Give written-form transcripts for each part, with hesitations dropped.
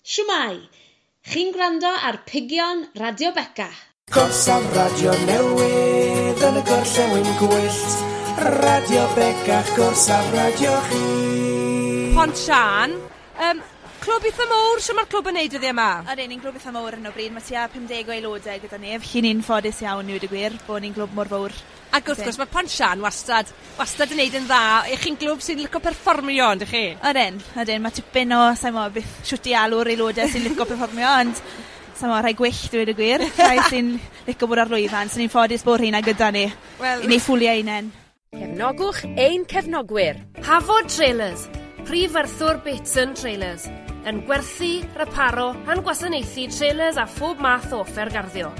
Shwmae? Chi'n gwrando ar Pigion Radio Beca. Gorsaf radio newydd yn y gorllewin gwyllt. Radio Becach, gorsaf radio chi. Pont Sian, clwb eitha mowr, shwt mae'r clwb yn neud dyddiau yma? Ydyn, ni'n glwb eitha mowr ar hyn o bryd, mae tua 50 o aelodau gyda ni, felly ni'n ffodus iawn i weud y gwir, bod ni'n glwb mor fawr. Ac wrth gwrs mae Pont Sian wastad, wastad yn neud yn dda. Ych chi'n glwb sy'n licio perfformio, yndych chi? Ydyn, ydyn, mae tipyn o, sa'n mo, beth shwt i alw'r aelodau sy'n licio perfformio, ond sa'n mo, rhai gwyllt dweud y gwir, rhai sy'n licio bod ar lwyfan, so ni'n ffodus bod rheina gyda ni, Wel- i wneud ffwliau hunain. Cefnogwch ein cefnogwyr. Hafod Trailers, prif werthwr Bateson Trailers, yn gwerthu, reparo a'n gwasanaethu trailers a phob math o offer garddio.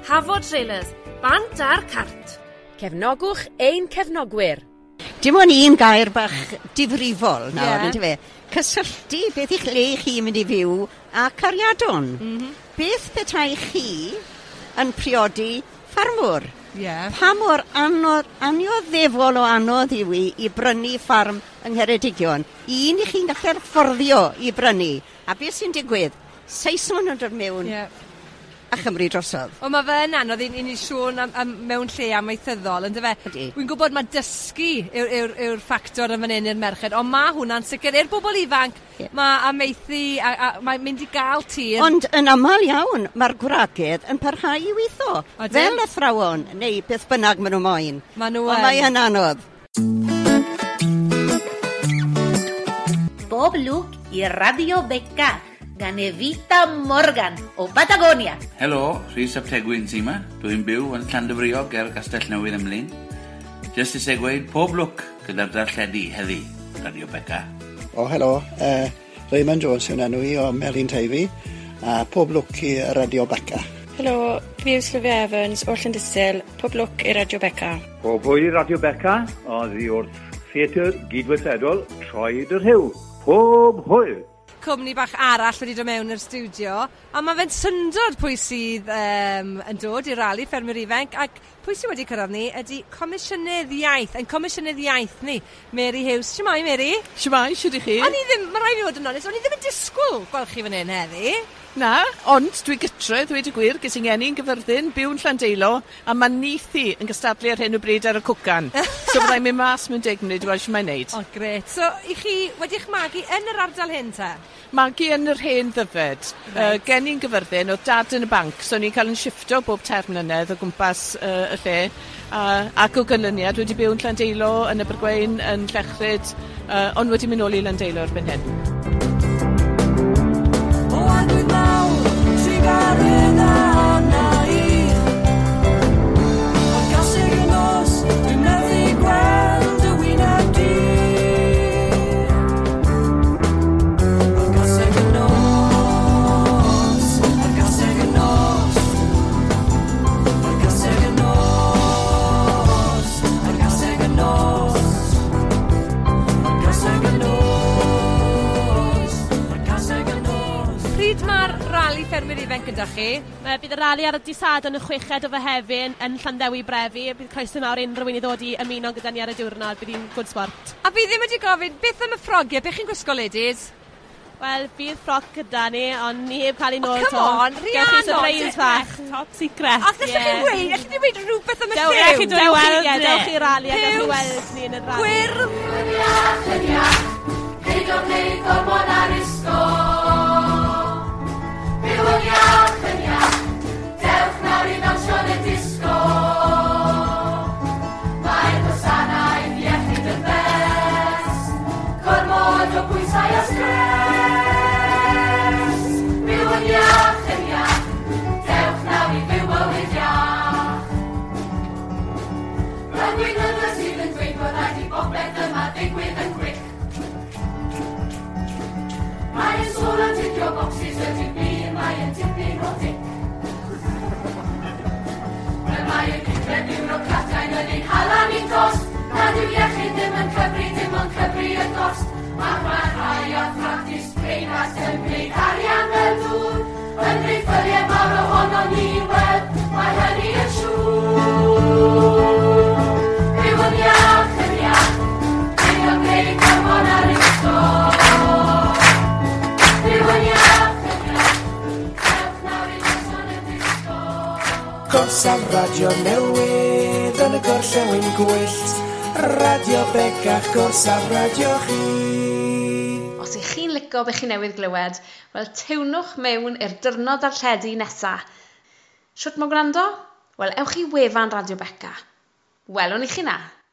Hafod Trailers, bant a'r cart. Cefnogwch ein cefnogwyr. Dim ond un gair bach difrifol nawr, Ie. yeah. Yndyfe? Cysylltu beth i'ch le chi mynd i fyw a cariadon. Beth petai chi yn priodi ffarmwr? Ie. Pa mor anodd, anioddefol o anodd yw i i brynu ffarm yng Ngheredigion? Un i chi'n gallu fforddio i brynu. A beth sy'n digwydd? Saeson yn dod mewn Ie. a Chymru drosodd. Ond mae fe'n anodd i ni sôn am mewn lle amaethyddol, yndyfe? Ydi. Wy'n gwybod mae dysgu yw'r ffactor yn fan hyn i'r merched, ond mae hwnna'n sicr i'r bobl ifanc, Ie. mae amaethu a mae'n mynd i gael tir. Ond yn aml iawn, mae'r gwragedd yn parhau i weithio. Odyn. Fel athrawon, neu beth bynnag maen nhw moyn. Ma' nhw Ond yn. mae yn anodd. Bob lwc i Radio Beca gan Evita Morgan o Patagonia. Helo, Rhys ap Tegwyn sy yma. Dwi'n byw yn Llandyfriog ger Castell Newydd Emlyn. Jyst eisiau gweud pob lwc gyda'r darlledu heddi, Radio Beca. O, helo. Raymond Jones yw'n enw i o Melin Teifi. A pob lwc i Radio Beca. Helo, fi yw Sylvia Evans o Llandysul, pob lwc i Radio Beca. Pob hwyl i Radio Beca, oddi wrth Theatr Gydweithredol Troed yr Rhyw. Pob hwyl! Cwmni bach arall wedi dod mewn i'r stiwdio, a mae fe'n syndod pwy sydd yn dod i'r rali ffermwyr ifanc, ac pwy sydd wedi cyrraedd ni ydy Comisiynydd Iaith, ein Comisiynydd Iaith ni, Mary Hughes. Shwmae, Mary? Shwmae, shwd i chi? O'n i ddim, mae rhaid i fi fod yn onest, o'n i ddim yn disgwyl gweld chi fan hyn heddi. Na, ond dwi gytre, ddweud y gwir, ges i'n ngeni yn Gyfyrddin, byw yn Llandeilo, a mae nithi yn gystadlu ar hyn o bryd ar y cwcan. So byddai'n mynd mas mewn 10 munud i weld shwt mae'n neud. O, gret. So, i chi wedi'ch magu yn yr ardal hyn te? Magu yn yr hen Ddyfed. Reit. Geni'n Gyfyrddin, oedd dad yn y banc, so o'n i'n cael yn shifto bob 3 mlynedd o gwmpas y lle. Ac o ganlyniad wedi byw yn Llandeilo, yn Abergweun, yn Llechryd, ond wedi mynd nôl i Landeilo erbyn hyn. O arglwydd mawr, trugaredd arna i. O'r gaseg y nos, dwi'n methu gweld y wyneb di. O'r gaseg y nos, o'r gaseg y nos, o'r gaseg y nos, o'r gaseg y nos, o'r gaseg y nos, o'r gaseg y nos. Pryd mae'r rali ffermwyr ifanc gyda chi? Bydd y rali ar y dydd Sadwrn y 6fed o Fehefin yn Llanddewi Brefi. Bydd croeso mawr i unrhyw un i ddod i ymuno gyda ni ar y diwrnod. Bydd hi'n good sport. A fi ddim wedi gofyn, beth am y ffrogiau? Beth chi'n gwisgo, ladies? Wel, bydd ffrog gyda ni, ond ni heb cael ei nôl Oh, come on, Gewch chi Rhiannon, surprise fach. Top secret. Ac allwch chi weud, allwch chi weud rhywbeth am y Dewch lliw? chi dod i weld ni. Dewch i'r rali a gewch chi Piws, weld ni yn y rali. Gwyrdd. Yn iach, yn iach, peidio wneud gormod ar isgo. Byw yn iach, yn iach, dewch nawr i ddawnsio yn y disgo. Mae'r gwasanaeth iechyd yn best, gormod o bwysau a stres. Byw yn iach, yn iach, dewch nawr i fyw bywyd iach. Y gweinyddion sydd yn dweud bod rhaid i bopeth yma ddigwydd yn quick. Mae'n sôn Gorsaf radio newydd yn y gorllewin gwyllt. Radio Becach, gorsaf radio chi. Os ych chi'n licio be chi newydd glywed, wel tiwnwch mewn i'r dyrnod darlledu nesa. Shwt mae gwrando? Wel, ewch i wefan Radio Beca. Welwn i chi na.